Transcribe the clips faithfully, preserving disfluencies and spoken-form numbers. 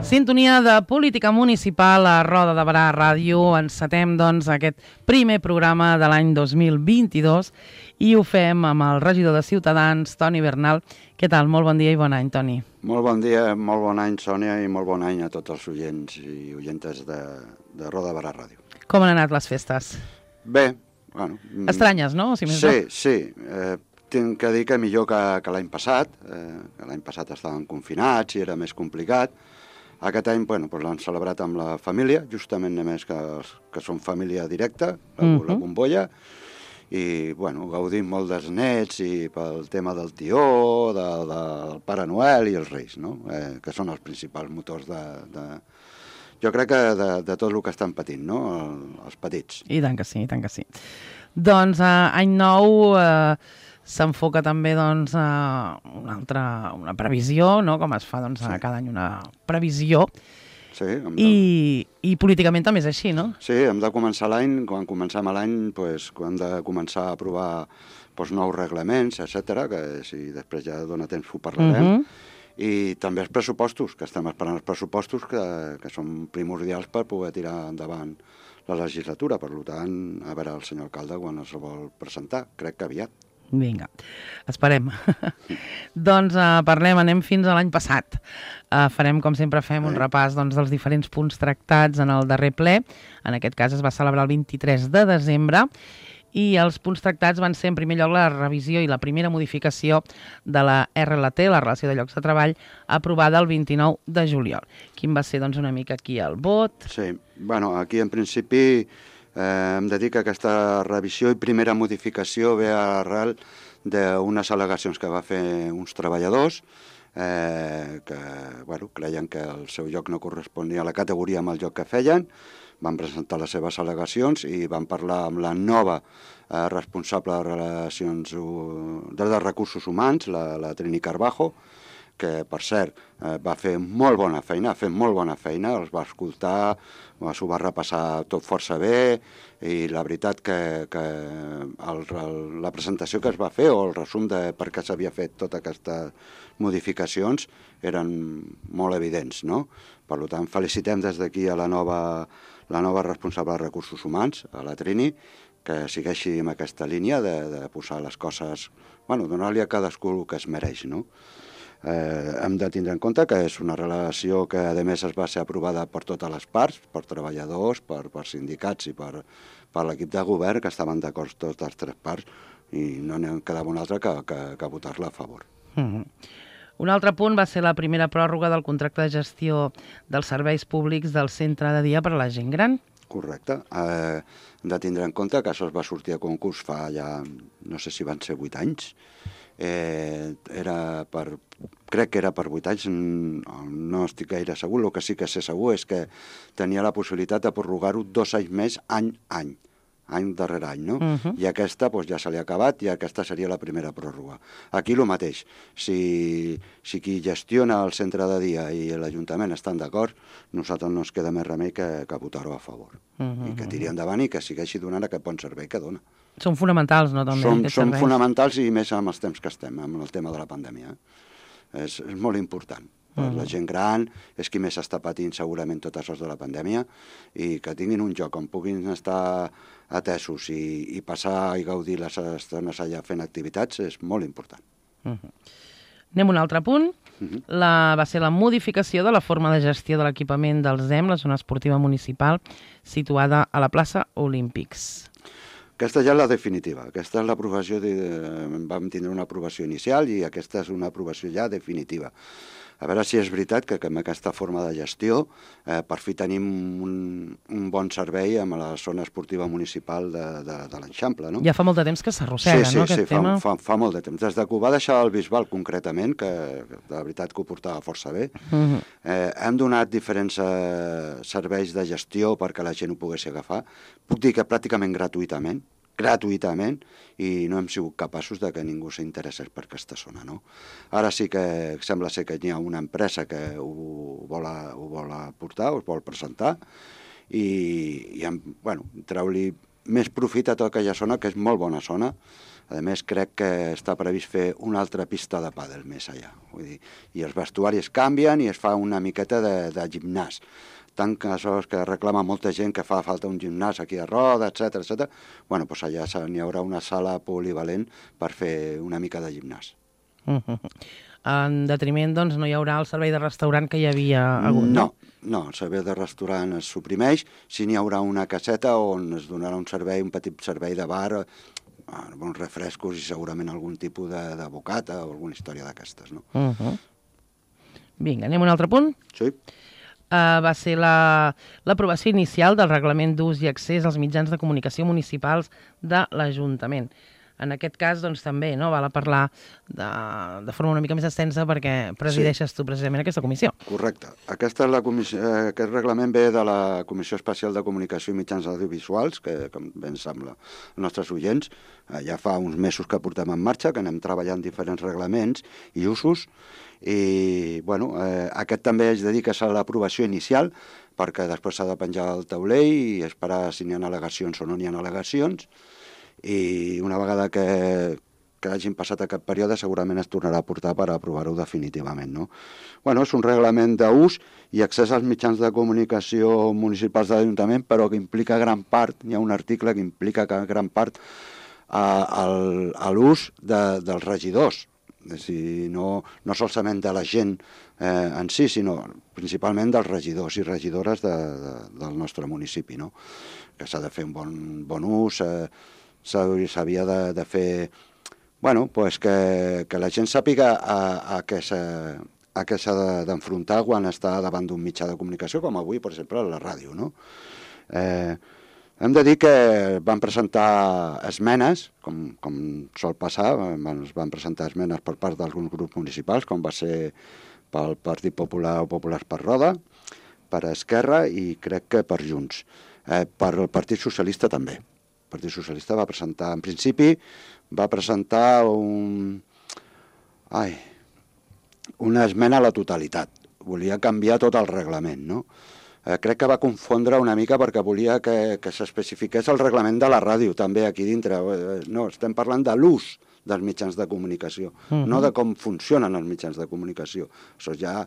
Sintonia de política municipal a Roda de Barà Ràdio. Encetem, doncs, aquest primer programa de l'any dos mil vint-i-dos i ho fem amb el regidor de Ciutadans, Toni Bernal. Què tal? Molt bon dia i bon any, Toni. Molt bon dia, molt bon any, Sònia, i molt bon any a tots els oients i oientes de, de Roda de Barà Ràdio. Com han anat les festes? Bé, bueno... Estranyes, no? Si més sí, no. sí. Eh, tinc que dir que millor que, que l'any passat. Eh, que l'any passat estàvem confinats i era més complicat. Aquest any, bueno, doncs l'han celebrat amb la família, justament només que, que són família directa, la, uh-huh. la bombolla, i, bueno, gaudim molt dels nets i pel tema del tió, de, de, del Pare Noel i els Reis, no? Eh, que són els principals motors de... de jo crec que de, de tot el que estan patint, no? El, els petits. I tant que sí, i tant que sí. Doncs eh, any nou... Eh... s'enfoca també doncs, a una altra una previsió, no? Com es fa doncs, sí. cada any una previsió. Sí, de... I, I políticament també és així, no? Sí, hem de començar l'any, quan comencem l'any, pues, hem de començar a aprovar pues, nous reglaments, etcètera, que si després ja dona temps ho parlarem. Uh-huh. I també els pressupostos, que estem esperant els pressupostos, que, que són primordials per poder tirar endavant la legislatura. Per tant, a veure el senyor alcalde quan es vol presentar, crec que aviat. Vinga, esperem. Doncs uh, parlem, anem fins a l'any passat. Uh, farem, com sempre fem, un repàs doncs, dels diferents punts tractats en el darrer ple. En aquest cas es va celebrar el vint-i-tres de desembre i els punts tractats van ser, en primer lloc, la revisió i la primera modificació de la R L T, la Relació de Llocs de Treball, aprovada el vint-i-nou de juliol. Quin va ser, doncs, una mica aquí el vot? Sí, bueno, aquí en principi... Eh, hem de dir que aquesta revisió i primera modificació ve arrel d'unes al·legacions que va fer uns treballadors eh, que bueno, creien que el seu lloc no corresponia a la categoria amb el lloc que feien, van presentar les seves al·legacions i van parlar amb la nova eh, responsable de relacions de, de recursos humans, la, la Trini Carbajo, que, per cert, eh, va fer molt bona feina, ha fet molt bona feina, els va escoltar, s'ho va repassar tot força bé, i la veritat que, que el, el, la presentació que es va fer, o el resum de per què s'havia fet totes aquestes modificacions, eren molt evidents, no? Per tant, felicitem des d'aquí a la nova, la nova responsable de recursos humans, a la Trini, que segueixi amb aquesta línia de, de posar les coses, bueno, donar-li a cadascú el que es mereix, no? Eh, hem de tindre en compte que és una relació que, a més, es va ser aprovada per totes les parts, per treballadors, per, per sindicats i per, per l'equip de govern, que estaven d'acord totes les tres parts, i no n'hi quedava un altre que, que, que votar-la a favor. Mm-hmm. Un altre punt va ser la primera pròrroga del contracte de gestió dels serveis públics del centre de dia per a la gent gran. Correcte. Eh, hem de tindre en compte que això es va sortir a concurs fa ja, no sé si van ser vuit anys, Eh, era per, crec que era per vuit anys, no estic gaire segur. El que sí que sé segur és que tenia la possibilitat de prorrogar-ho dos anys més, any a any, any darrere any, no? Uh-huh. I aquesta doncs, ja se li ha acabat i aquesta seria la primera pròrroga. Aquí el mateix, si, si qui gestiona el centre de dia i l'Ajuntament estan d'acord, nosaltres no ens queda més remei que, que votar-ho a favor. Uh-huh. I que tiri endavant i que segueixi donant aquest bon servei que dona. Són fonamentals, no? També, són són fonamentals i més amb els temps que estem, amb el tema de la pandèmia. És, és molt important. Uh-huh. La gent gran és qui més està patint segurament tot això de la pandèmia i que tinguin un lloc on puguin estar atesos i, i passar i gaudir les estones allà fent activitats és molt important. Uh-huh. Anem a un altre punt. Uh-huh. La, va ser la modificació de la forma de gestió de l'equipament del Z E M, la zona esportiva municipal, situada a la plaça Olímpics. Aquesta ja és la definitiva. Aquesta és l'aprovació, de, vam tindre una aprovació inicial i aquesta és una aprovació ja definitiva. A veure si és veritat que, que amb aquesta forma de gestió eh, per fi tenim un, un bon servei amb la zona esportiva municipal de, de, de l'Eixample, no? Ja fa molt de temps que s'arrossega, sí, sí, no, aquest sí, tema? Sí, fa, fa, fa molt de temps. Des que ho va deixar el Bisbal, concretament, que de veritat que ho portava força bé, uh-huh. eh, hem donat diferents eh, serveis de gestió perquè la gent ho pogués agafar. Puc dir que pràcticament gratuïtament, gratuïtament, i no hem sigut capaços de que ningú s'interessés per aquesta zona, no? Ara sí que sembla ser que hi ha una empresa que ho vol, ho vol aportar, ho vol presentar, i, i bueno, treu-li més profit a tota aquella zona, que és molt bona zona. A més, crec que està previst fer una altra pista de pàdel més allà. Vull dir, i els vestuaris canvien i es fa una miqueta de, de gimnàs. Tant que això que reclama molta gent que fa falta un gimnàs aquí a Roda, etcètera, etcètera. Bueno, doncs allà n'hi haurà una sala polivalent per fer una mica de gimnàs. Uh-huh. En detriment, doncs, no hi haurà el servei de restaurant que hi havia hagut, no? No, no, el servei de restaurant es suprimeix. Sí n'hi haurà una caseta on es donarà un servei, un petit servei de bar, bons refrescos i segurament algun tipus de, de bocata o alguna història d'aquestes, no? Uh-huh. Vinga, anem a un altre punt? Sí. Uh, va ser l'aprovació la, inicial del reglament d'ús i accés als mitjans de comunicació municipals de l'Ajuntament. En aquest cas, doncs, també, no?, val a parlar de, de forma una mica més extensa perquè presideixes sí. tu precisament aquesta comissió. Correcte. Aquesta és la comissió, eh, aquest reglament ve de la Comissió Especial de Comunicació i Mitjans Audiovisuals, que, com bé ens sembla, els nostres oients, eh, ja fa uns mesos que portem en marxa, que anem treballant diferents reglaments i usos, i, bueno, eh, aquest també es dedica a l'aprovació inicial, perquè després s'ha de penjar el taulell i esperar si n'hi ha al·legacions o no n'hi ha al·legacions, i una vegada que, que hagin passat aquest període segurament es tornarà a portar per aprovar-ho definitivament, no? Bueno, és un reglament d'ús i accés als mitjans de comunicació municipals de l'Ajuntament, però que implica gran part, hi ha un article que implica que gran part a, a, a l'ús de, dels regidors, és a dir, no, no solament de la gent eh, en si, sinó principalment dels regidors i regidores de, de, del nostre municipi, no? Que s'ha de fer un bon, bon ús, eh, s'havia de, de fer, bueno, pues que, que la gent sàpiga a, a què s'ha d'enfrontar quan està davant d'un mitjà de comunicació, com avui, per exemple, a la ràdio, no? Eh, hem de dir que van presentar esmenes, com, com sol passar, es van presentar esmenes per part d'alguns grups municipals, com va ser pel Partit Popular o Populars per Roda, per Esquerra i crec que per Junts. Eh, per el Partit Socialista també. El Partit Socialista va presentar, en principi, va presentar un... Ai, una esmena a la totalitat. Volia canviar tot el reglament, no? Eh, crec que va confondre una mica perquè volia que, que s'especifiqués el reglament de la ràdio, també aquí dintre. Eh, no, estem parlant de l'ús dels mitjans de comunicació, uh-huh. no de com funcionen els mitjans de comunicació. Això ja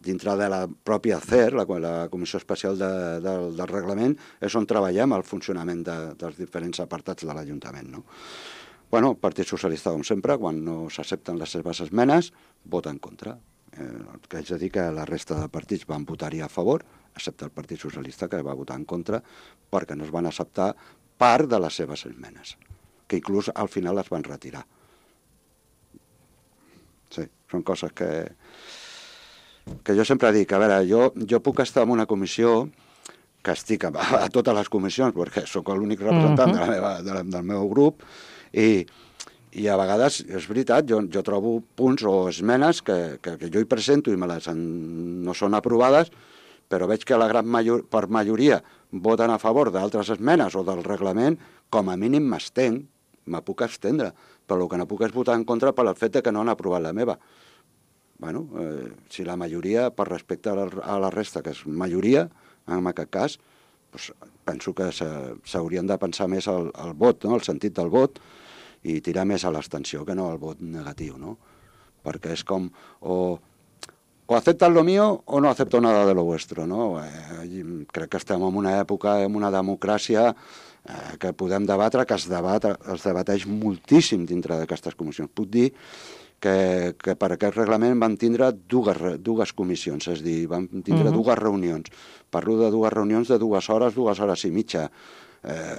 dintre de la pròpia C E R, la, la Comissió Especial de, de, del Reglament, és on treballem el funcionament de, dels diferents apartats de l'Ajuntament, no? Bueno, el Partit Socialista, com sempre, quan no s'accepten les seves esmenes, vota en contra. Eh, el que haig de dir que la resta de partits van votar-hi a favor, excepte el Partit Socialista, que va votar en contra, perquè no es van acceptar part de les seves esmenes, que inclús al final les van retirar. Sí, són coses que, que jo sempre dic. A veure, jo, jo puc estar en una comissió que estic a, a totes les comissions, perquè sóc l'únic representant uh-huh. de la meva, de la, del meu grup, i, i a vegades, és veritat, jo, jo trobo punts o esmenes que, que, que jo hi presento i me les en, no són aprovades, però veig que la gran major, per majoria voten a favor d'altres esmenes o del reglament, com a mínim m'estenc, me puc abstendre, però el que no puc és votar en contra per el fet que no han aprovat la meva. Bueno, eh, si la majoria, per respecte a la, a la resta, que és majoria, en aquest cas, doncs penso que s'haurien de pensar més al, al vot, no? El sentit del vot, i tirar més a l'abstenció que no al vot negatiu, no? Perquè és com, o, o aceptan lo mío o no acepto nada de lo vuestro, no? Eh, crec que estem en una època, en una democràcia eh, que podem debatre, que es, debat, es debateix moltíssim dintre d'aquestes comissions. Puc dir que, que per aquest reglament van tindre dues, dues comissions, és a dir, van tindre uh-huh. dues reunions. Parlo de dues reunions de dues hores, dues hores i mitja. Eh,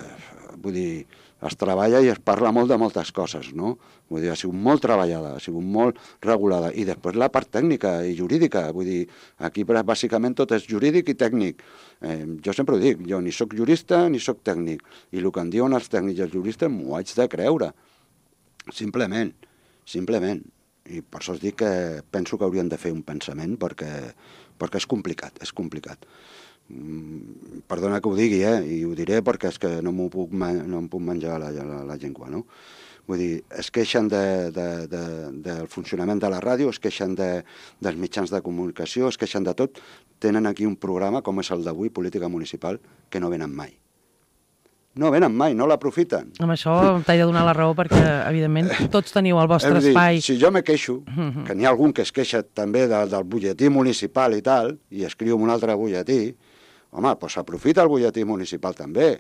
vull dir, es treballa i es parla molt de moltes coses, no? Vull dir, ha sigut molt treballada, ha sigut molt regulada. I després la part tècnica i jurídica, vull dir, aquí bàsicament tot és jurídic i tècnic. Eh, jo sempre ho dic, jo ni sóc jurista ni sóc tècnic, i el que em diuen els tècnics i els juristes m'ho haig de creure. Simplement, simplement. I per això us dic que penso que haurien de fer un pensament perquè, perquè és complicat, és complicat. Perdona que ho digui, eh? I ho diré perquè és que no m'ho puc, no em puc menjar la, la, la llengua, no? Vull dir, es queixen de, de, de, del funcionament de la ràdio, es queixen de, dels mitjans de comunicació, es queixen de tot. Tenen aquí un programa, com és el d'avui, Política Municipal, que no venen mai. No venen mai, no l'aprofiten. Amb això t'he de donar la raó perquè, evidentment, tots teniu el vostre dir, espai. Si jo me queixo, que n'hi ha algun que es queixa també de, del butlletí municipal i tal, i escriu un altre butlletí, home, doncs aprofita el butlletí municipal també,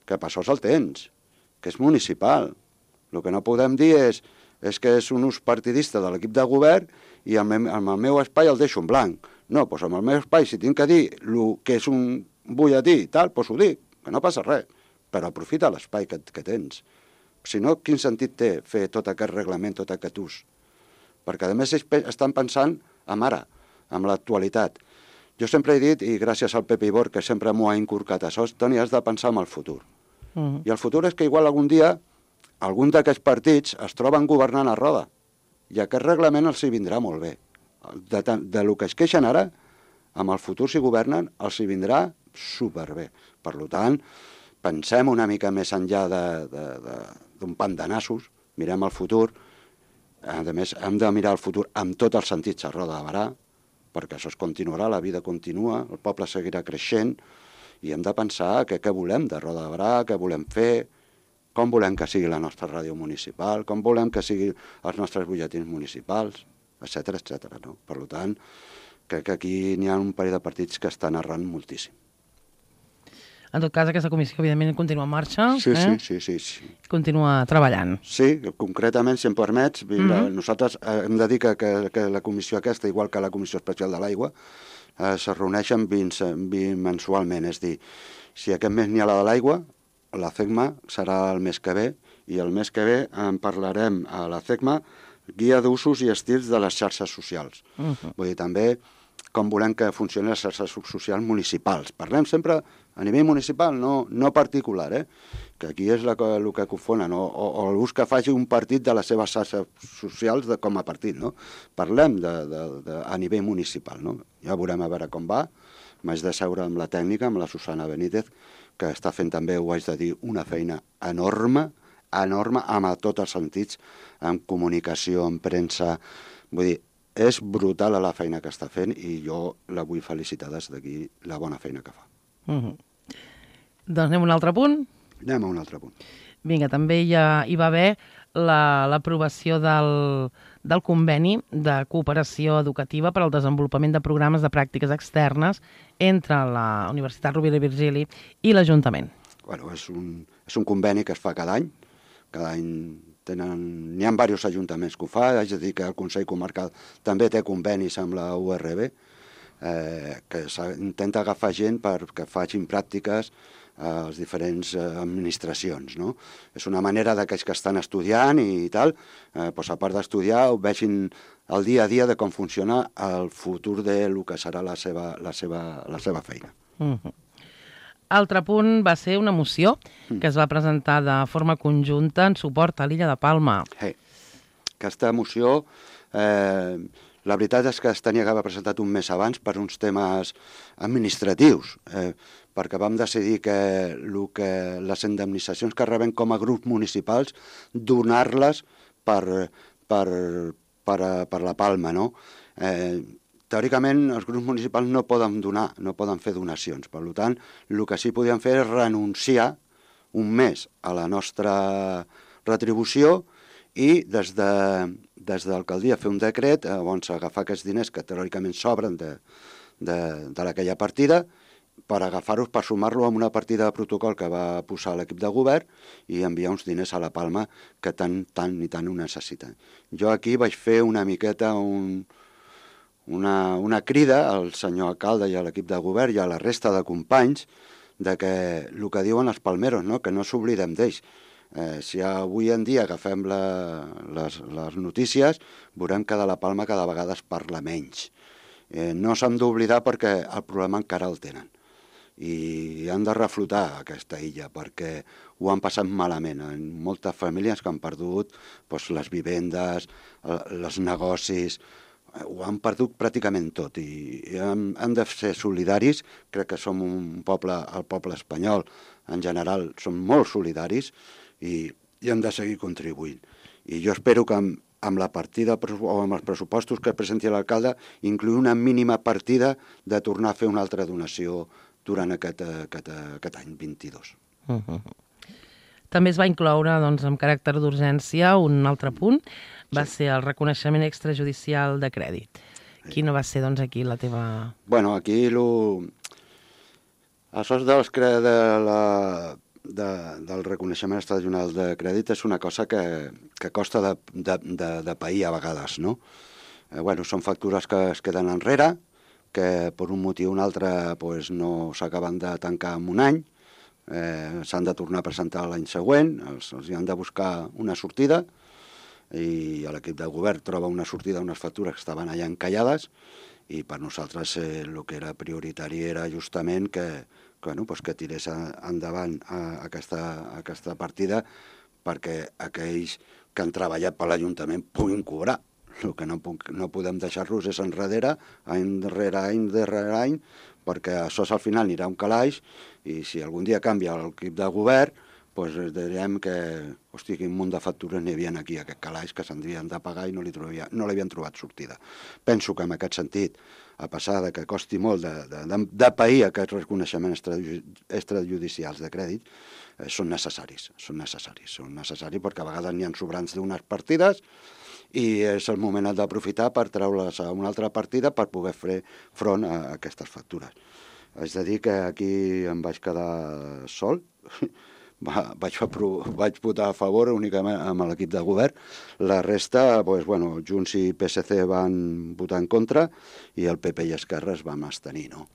que per això el tens, que és municipal. El que no podem dir és, és que és un ús partidista de l'equip de govern i amb, amb el meu espai el deixo en blanc. No, doncs amb el meu espai, si tinc que dir el que és un butlletí i tal, doncs ho dic, que no passa res. Però aprofita l'espai que, que tens. Si no, quin sentit té fer tot aquest reglament, tot aquest ús? Perquè, a més, estan pensant en ara, en l'actualitat. Jo sempre he dit, i gràcies al Pepe Ibor, que sempre m'ho ha inculcat això, Toni, has de pensar en el futur. Mm. I el futur és que igual algun dia algun d'aquests partits es troben governant a roda. I aquest reglament els hi vindrà molt bé. De, de, de lo que es queixen ara, amb el futur, si governen, els hi vindrà superbé. Per tant, pensem una mica més enllà d'un pant de nassos, mirem el futur, a més hem de mirar el futur amb tots els sentits a roda de barà, perquè això es continuarà, la vida continua, el poble seguirà creixent, i hem de pensar què, què volem de Roda de Barà, què volem fer, com volem que sigui la nostra ràdio municipal, com volem que siguin els nostres butlletins municipals, etcètera, etcètera. No? Per tant, crec que aquí n'hi ha un parell de partits que estan errant moltíssim. En tot cas, aquesta comissió, evidentment, continua en marxa. Sí, eh? sí, sí, sí, sí. Continua treballant. Sí, concretament, si em permets, Mm-hmm. nosaltres hem de dir que, que, que la comissió aquesta, igual que la Comissió Especial de l'Aigua, eh, se reuneixen bimensualment. És a dir, si aquest mes n'hi ha la de l'aigua, la CECMA serà el mes que ve, i el mes que ve en parlarem a la CECMA guia d'usos i estils de les xarxes socials. Mm-hmm. Vull dir, també com volem que funcionin les xarxes socials municipals. Parlem sempre a nivell municipal, no, no particular, eh? Que aquí és la, el que confonen, o, o, o l'ús que faci un partit de les seves xarxes socials de, com a partit, no? Parlem de, de, de, a nivell municipal, no? Ja veurem a veure com va. M'haig de seure amb la tècnica, amb la Susana Benítez, que està fent també, ho haig de dir, una feina enorme, enorme, amb tots els sentits, en comunicació, en premsa. Vull dir, és brutal la feina que està fent i jo la vull felicitar des d'aquí, la bona feina que fa. Mm-hmm. Doncs anem a un altre punt. Anem a un altre punt. Vinga, també hi, ha, hi va haver l'aprovació la, del, del conveni de cooperació educativa per al desenvolupament de programes de pràctiques externes entre la Universitat Rovira i Virgili i l'Ajuntament. Bueno, és un, és un conveni que es fa cada any. Cada any tenen, n'hi ha diversos ajuntaments que ho fa, és a dir, que el Consell Comarcal també té convenis amb la U R B, eh, que intenta agafar gent perquè facin pràctiques a les diferents eh, administracions, no? És una manera d'aquells que estan estudiant i tal, eh, doncs a part d'estudiar, ho vegin el dia a dia de com funciona el futur de lo que serà la seva, la seva, la seva feina. Mm-hmm. Altre punt va ser una moció que es va presentar de forma conjunta en suport a l'illa de Palma. Hey. Aquesta moció, eh, la veritat és que es tenia que haver presentat un mes abans per uns temes administratius, eh, perquè vam decidir que, lo que les indemnitzacions que rebem com a grups municipals, donar-les per, per, per, per la Palma, no? Eh, Teòricament, els grups municipals no poden donar, no poden fer donacions. Per tant, el que sí podien fer és renunciar un mes a la nostra retribució i des de, des de l'alcaldia fer un decret on agafar aquests diners que teòricament sobren de, de, de aquella partida per agafar-los, per sumar-lo a una partida de protocol que va posar l'equip de govern i enviar uns diners a la Palma que tant, tant i tant ho necessiten. Jo aquí vaig fer una miqueta un... Una, una crida al senyor alcalde i a l'equip de govern i a la resta de companys de que el que diuen els palmeros, no? Que no s'oblidem d'ells. Eh, si avui en dia agafem la, les, les notícies, veurem que de la Palma cada vegada es parla menys. Eh, no s'han d'oblidar perquè el problema encara el tenen. I han de reflotar aquesta illa perquè ho han passat malament. En moltes famílies que han perdut doncs, les vivendes, els negocis, ho han perdut pràcticament tot i hem, hem de ser solidaris. Crec que som un poble, el poble espanyol en general, som molt solidaris i, i hem de seguir contribuint. I jo espero que amb, amb la partida o amb els pressupostos que presenti l'alcalde incluir una mínima partida de tornar a fer una altra donació durant aquest, aquest, aquest any vint-i-dos. Uh-huh. També es va incloure, doncs, amb caràcter d'urgència, un altre punt, va sí. ser el reconeixement extrajudicial de crèdit. Sí. Quina va ser, doncs, aquí la teva... Bueno, aquí lo... això dels cre... de la... de... del reconeixement extrajudicial de crèdit és una cosa que, que costa de, de, de, de pair a vegades, no? Eh, bueno, són factures que es queden enrere, que per un motiu o un altre pues, no s'acaben de tancar en un any, eh, s'han de tornar a presentar l'any següent, els, els hi han de buscar una sortida, i l'equip de govern troba una sortida a unes factures que estaven allà encallades, i per nosaltres eh, el que era prioritari era justament que, que, bueno, pues que tirés endavant a, a, aquesta, a aquesta partida perquè aquells que han treballat per l'Ajuntament puguin cobrar. El que no, puc, no podem deixar-los és enrere, any darrere any, darrere any, perquè això al final anirà un calaix, i si algun dia canvia l'equip de govern, doncs direm que, hosti, quin munt de factures n'hi havia aquí, aquest calaix, que s'havien de pagar i no li trobia, no l'havien trobat sortida. Penso que en aquest sentit, a passar de que costi molt de, de, de, de pair aquests reconeixements extrajudicials de crèdit, eh, són necessaris, són necessaris, són necessaris perquè a vegades n'hi ha sobrants d'unes partides, i és el moment d'aprofitar per treure-les a una altra partida per poder fer front a aquestes factures. És a dir, que aquí em vaig quedar sol, vaig, vaig votar a favor únicament amb l'equip de govern, la resta, doncs, bueno, Junts i P S C van votar en contra i el P P i Esquerra es van abstenir, no?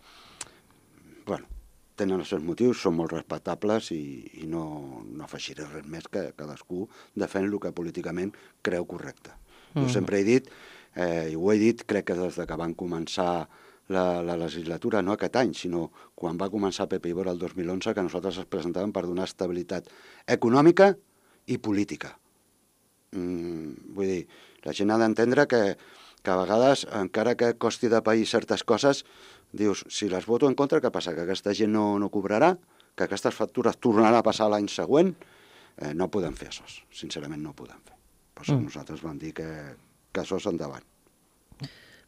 Bueno, tenen els seus motius, són molt respectables i, i no, no afegiré res més que cadascú defèn el que políticament creu correcte. Jo sempre he dit, eh, i ho he dit, crec que des que van començar la, la legislatura, no aquest any, sinó quan va començar Pepe Ibora el dos mil onze, que nosaltres ens presentàvem per donar estabilitat econòmica i política. Mm, vull dir, la gent ha d'entendre que, que a vegades, encara que costi de pair certes coses, dius, si les voto en contra, què passa? Que aquesta gent no, no cobrarà? Que aquestes factures tornaran a passar l'any següent? Eh, no podem fer això, sincerament no ho podem fer. Per això mm. nosaltres vam dir que, que això és endavant.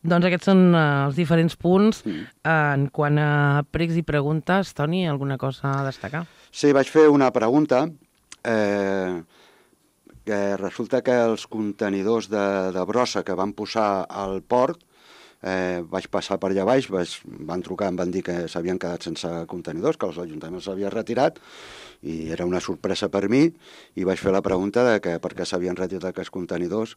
Doncs aquests són uh, els diferents punts. Mm. Uh, en quant a pregs i preguntes, Toni, alguna cosa a destacar? Sí, vaig fer una pregunta. Eh, que resulta que els contenidors de, de brossa que van posar al port, eh, vaig passar per allà baix, vaig, van trucar, em van dir que s'havien quedat sense contenidors, que els ajuntaments s'havien retirat, i era una sorpresa per mi, i vaig fer la pregunta de que per què s'havien retirat aquests contenidors.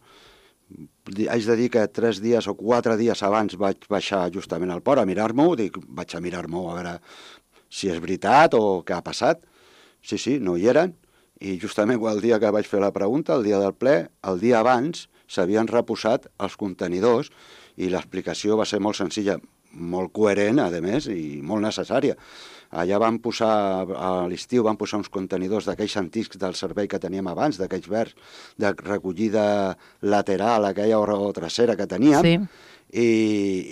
Haig de dir que tres dies o quatre dies abans vaig baixar justament al port a mirar-m'ho, dic, vaig a mirar-m'ho a veure si és veritat o què ha passat. Sí, sí, no hi eren, i justament el dia que vaig fer la pregunta, el dia del ple, el dia abans s'havien reposat els contenidors, i l'explicació va ser molt senzilla, molt coherent, a més, i molt necessària. Allà van posar, a l'estiu van posar uns contenidors d'aquells antics del servei que teníem abans, d'aquells verds, de recollida lateral, aquella o trasera que teníem, sí. i,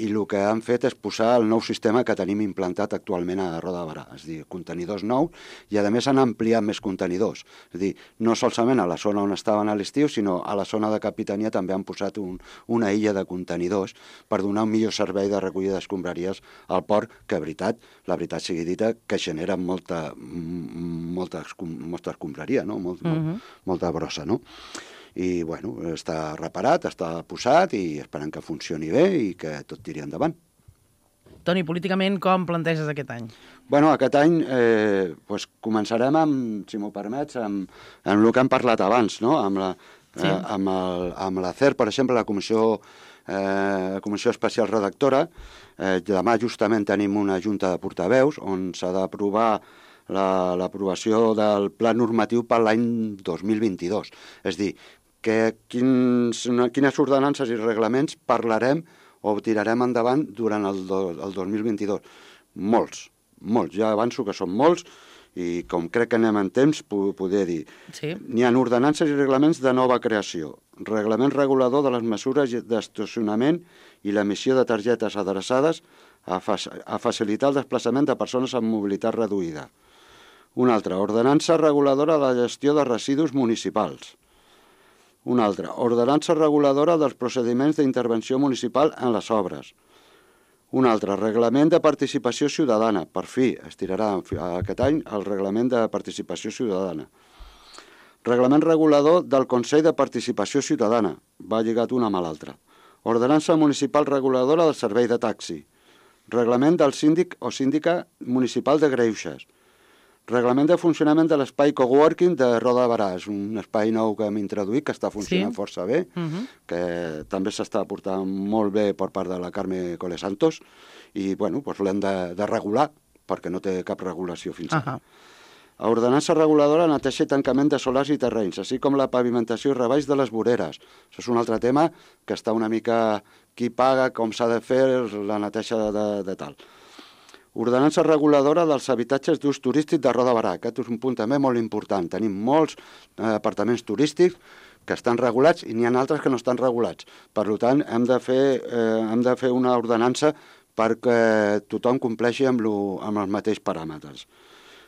i el que han fet és posar el nou sistema que tenim implantat actualment a Roda de Barà, és a dir, contenidors nous, i a més han ampliat més contenidors. És a dir, no solament a la zona on estaven a l'estiu, sinó a la zona de capitania també han posat un, una illa de contenidors per donar un millor servei de recollida d'escombraries al port, que, veritat, la veritat sigui dita, que genera molta, molta, molta escombraria, no? Molt, uh-huh. molt, molta brossa, no? I, bueno, està reparat, està posat i esperant que funcioni bé i que tot tiri endavant. Toni, políticament, com planteges aquest any? Bueno, aquest any eh, pues començarem, amb, si m'ho permets, amb, amb el que hem parlat abans, no? Amb la, sí. eh, amb, el, amb la C E R, per exemple, la Comissió, eh, Comissió Especial Redactora. Eh, demà justament tenim una junta de portaveus on s'ha d'aprovar l'aprovació la, del pla normatiu per l'any dos mil vint-i-dos. És a dir, que quins, quines ordenances i reglaments parlarem o tirarem endavant durant el, do, el dos mil vint-i-dos. Molts, molts. Ja avanço que són molts i com crec que anem en temps, poder dir. Sí. N'hi ha ordenances i reglaments de nova creació, reglament regulador de les mesures d'estacionament i l'emissió de targetes adreçades a, fa, a facilitar el desplaçament de persones amb mobilitat reduïda. Una altra, ordenança reguladora de la gestió de residus municipals. Una altra, ordenança reguladora dels procediments d'intervenció municipal en les obres. Una altra, reglament de participació ciutadana. Per fi, es tirarà aquest any el reglament de participació ciutadana. Reglament regulador del Consell de Participació Ciutadana, va lligat una amb l'altra. Ordenança municipal reguladora del servei de taxi. Reglament del síndic o síndica municipal de Greuges. Reglament de funcionament de l'espai coworking de Roda de Barà. És un espai nou que hem introduït, que està funcionant sí. força bé, uh-huh. que també s'està portant molt bé per part de la Carme Cole Santos, i bueno, doncs l'hem de, de regular, perquè no té cap regulació fins ara. Uh-huh. A ordenança reguladora neteja i tancament de solars i terrenys, així com la pavimentació i reballs de les voreres. Això és un altre tema que està una mica qui paga, com s'ha de fer la neteja de, de, de tal. Ordenança reguladora dels habitatges d'ús turístic de Roda de Barà. Aquest és un punt també molt important. Tenim molts eh, apartaments turístics que estan regulats i n'hi ha altres que no estan regulats. Per tant, hem de fer, eh, hem de fer una ordenança perquè tothom compleixi amb, lo, amb els mateixos paràmetres.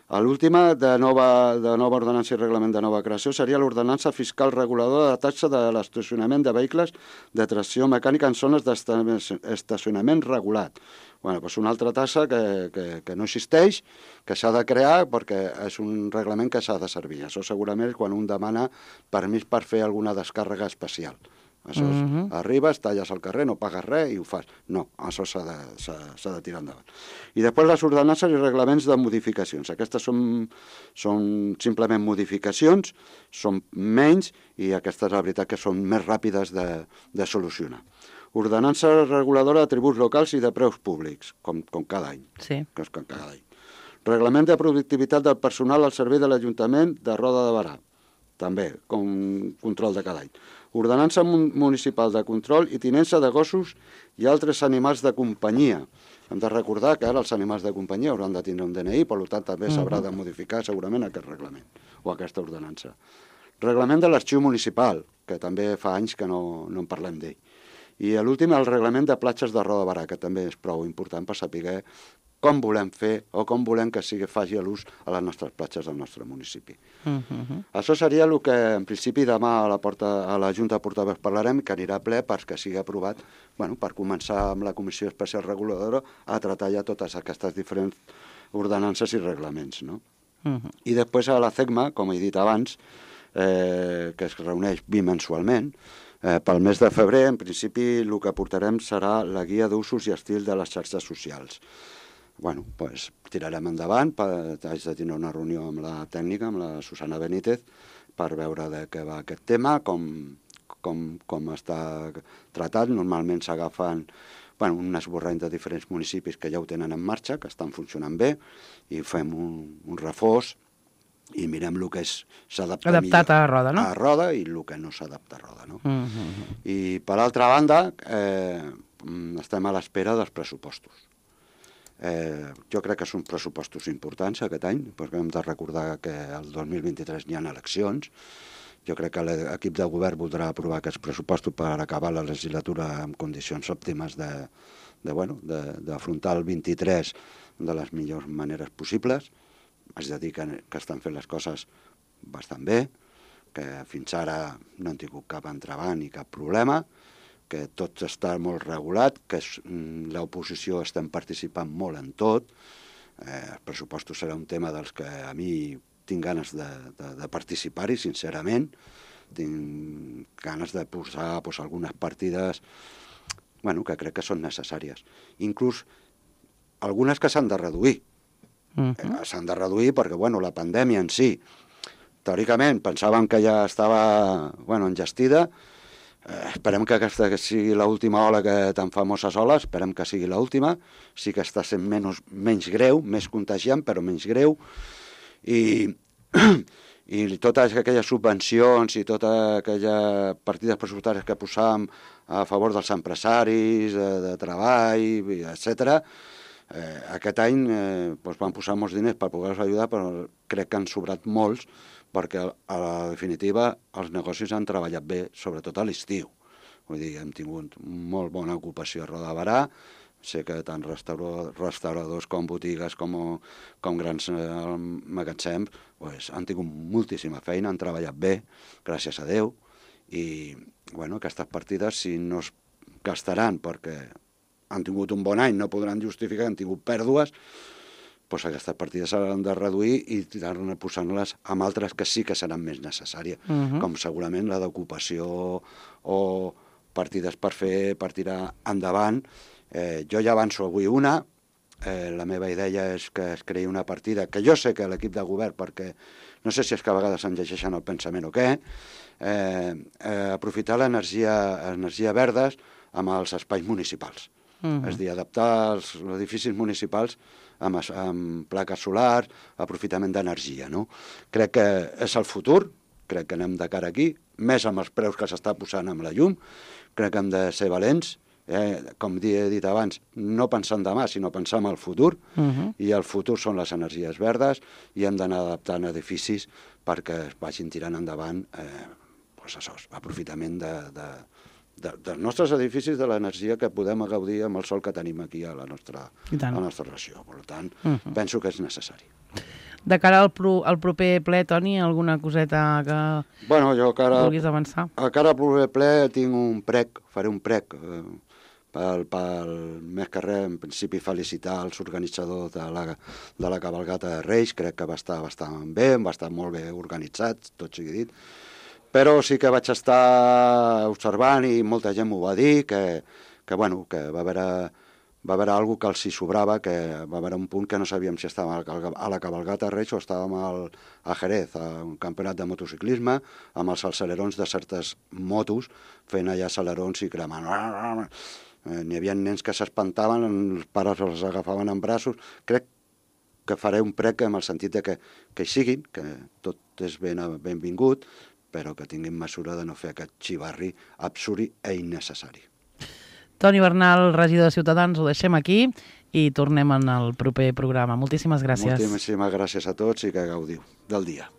L'última de nova, de nova ordenança i reglament de nova creació seria l'ordenança fiscal reguladora de taxa de l'estacionament de vehicles de tracció mecànica en zones d'estacionament regulat. Bueno, doncs una altra taxa que, que, que no existeix, que s'ha de crear perquè és un reglament que s'ha de servir. Això segurament és quan un demana permís per fer alguna descàrrega especial. Això és, uh-huh. arribes, talles al carrer, no pagues res i ho fas. No, això s'ha de, s'ha de tirar endavant. I després les ordenances i reglaments de modificacions. Aquestes són, són simplement modificacions, són menys i aquestes, la veritat, que són més ràpides de, de solucionar. Ordenança reguladora de tributs locals i de preus públics, com, com cada any. Sí. Que és com cada any. Reglament de productivitat del personal al servei de l'Ajuntament de Roda de Barà. També, com control de cada any. Ordenança municipal de control i tinença de gossos i altres animals de companyia. Hem de recordar que ara els animals de companyia hauran de tindre un D N I, per tant també s'haurà de modificar segurament aquest reglament o aquesta ordenança. Reglament de l'arxiu municipal, que també fa anys que no, no en parlem d'ell. I l'últim, el reglament de platges de Roda de Barà, que també és prou important per saber com volem fer o com volem que sigui faci l'ús a les nostres platges del nostre municipi. Uh-huh. Això seria el que en principi demà a la, porta, a la Junta de Portaveus parlarem, que anirà a ple perquè sigui aprovat, bueno, per començar amb la Comissió Especial Reguladora a tratar ja totes aquestes diferents ordenances i reglaments. No? Uh-huh. I després a la CECMA, com he dit abans, eh, que es reuneix bimensualment, eh, pel mes de febrer, en principi, el que portarem serà la guia d'usos i estil de les xarxes socials. Bueno, doncs tirarem endavant, haig de tenir una reunió amb la tècnica, amb la Susana Benítez, per veure de què va aquest tema, com, com, com està tratat. Normalment s'agafen bueno, un esborrany de diferents municipis que ja ho tenen en marxa, que estan funcionant bé, i fem un, un reforç i mirem el que s'adapta adaptat a Roda, no? A Roda i el que no s'adapta a Roda, no? Uh-huh. I per altra banda, eh, estem a l'espera dels pressupostos. Eh, jo crec que són pressupostos importants aquest any, perquè hem de recordar que el dos mil vint-i-tres n'hi ha eleccions. Jo crec que l'equip de govern voldrà aprovar aquests pressupostos per acabar la legislatura en condicions òptimes de, de, bueno, d'afrontar el vint-i-tres de les millors maneres possibles. Haig de dir que, que estan fent les coses bastant bé, que fins ara no han tingut cap entrebanc ni cap problema, que tot està molt regulat, que l'oposició estem participant molt en tot. Eh, els pressupostos serà un tema dels que a mi tinc ganes de, de, de participar-hi, sincerament. Tinc ganes de posar pues, algunes partides bueno, que crec que són necessàries. Inclús algunes que s'han de reduir. Uh-huh. eh, s'han de reduir perquè bueno, la pandèmia en si, teòricament, pensàvem que ja estava bueno, enllestida. Eh, esperem que aquesta sigui l'última ola que tan famoses oles, esperem que sigui l'última, sí que està sent menys, menys greu, més contagiant, però menys greu, i, i totes aquelles subvencions i totes aquelles partides pressupostàries que posàvem a favor dels empresaris, de, de treball, etcètera, eh, aquest any eh, doncs van posar molts diners per poder-los ajudar, però crec que han sobrat molts, perquè a la definitiva els negocis han treballat bé, sobretot a l'estiu. Vull dir, hem tingut molt bona ocupació a Roda de Barà, sé que tant restaura, restauradors com botigues com, com grans eh, magatzems pues, han tingut moltíssima feina, han treballat bé, gràcies a Déu, i bueno, aquestes partides si no es gastaran perquè han tingut un bon any, no podran justificar que han tingut pèrdues, doncs aquestes partides s'han de reduir i anar posant-les amb altres que sí que seran més necessàries, uh -huh. com segurament la d'ocupació o partides per fer, per tirar endavant. Eh, jo ja avanço avui una, eh, la meva idea és que es creï una partida, que jo sé que l'equip de govern, perquè no sé si és que a vegades em llegeixen el pensament o què, eh, eh, aprofitar l'energia energia verdes amb els espais municipals. Uh-huh. És a dir, adaptar els edificis municipals amb, amb plaques solars, aprofitament d'energia, no? Crec que és el futur, crec que anem de cara aquí, més amb els preus que s'està posant amb la llum, crec que hem de ser valents, eh? Com he dit abans, no pensar en demà, sinó pensar en el futur, uh-huh. i el futur són les energies verdes, i hem d'anar adaptant edificis perquè es vagin tirant endavant eh, doncs això, aprofitament de, de, de, dels nostres edificis, de l'energia que podem gaudir amb el sol que tenim aquí a la nostra, a la nostra regió. Per tant, uh-huh. penso que és necessari. De cara al, pro, al proper ple, Toni, alguna coseta que bueno, jo cara, vulguis avançar? A cara al proper ple tinc un prec, faré un prec, eh, pel, pel més que res, en principi felicitar els organitzadors de la, de la cabalgata de Reis, crec que va estar bastant bé, va estar molt bé organitzat, tot sigui dit, però sí que vaig estar observant i molta gent m'ho va dir, que, que, bueno, que va haver, va haver alguna cosa que els hi sobrava, que va haver un punt que no sabíem si estàvem a la cabalgata de Reis o estàvem al, a Jerez, a un campionat de motociclisme, amb els accelerons de certes motos, fent allà accelerons i cremant. N'hi havia nens que s'espantaven, els pares els agafaven en braços. Crec que faré un prec en el sentit de que, que hi siguin, que tot és ben, benvingut, però que tinguin mesura de no fer aquest xivarri absurd i innecessari. Toni Bernal, regidor de Ciutadans, ho deixem aquí i tornem en el proper programa. Moltíssimes gràcies. Moltíssimes gràcies a tots i que gaudiu del dia.